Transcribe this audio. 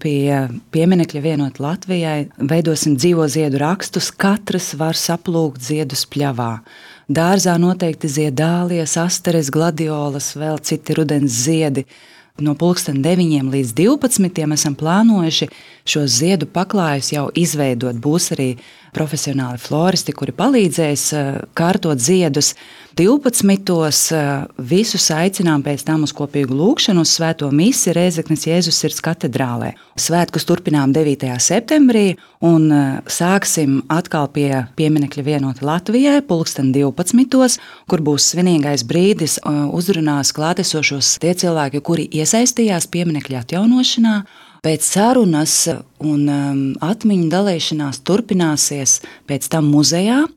Pie pieminekļa Vienota Latvijai veidosim dzīvo ziedu rakstus. Katrs var saplūkt ziedus pļavā. Dārzā noteikti zied dālies, asteres, gladiolas, vēl citi rudens ziedi. No 9 līdz 12 esam plānojuši šos ziedu paklājus jau izveidot. Būs arī profesionāli floristi, kuri palīdzēs kārtot ziedus. 12. Visus aicinām pēc tam uz kopīgu lūgšanu uz svēto misi Rēzeknes Jēzus Sirds katedrālē. Svētkus turpinām 9. septembrī un sāksim atkal pie pieminekļa Vienota Latvijai 12. kur būs svinīgais brīdis, uzrunās klātesošos tie cilvēki, kuri iesaistījās pieminekļa atjaunošanā. Pēc sarunas un atmiņu dalīšanās turpināsies pēc tam muzejā.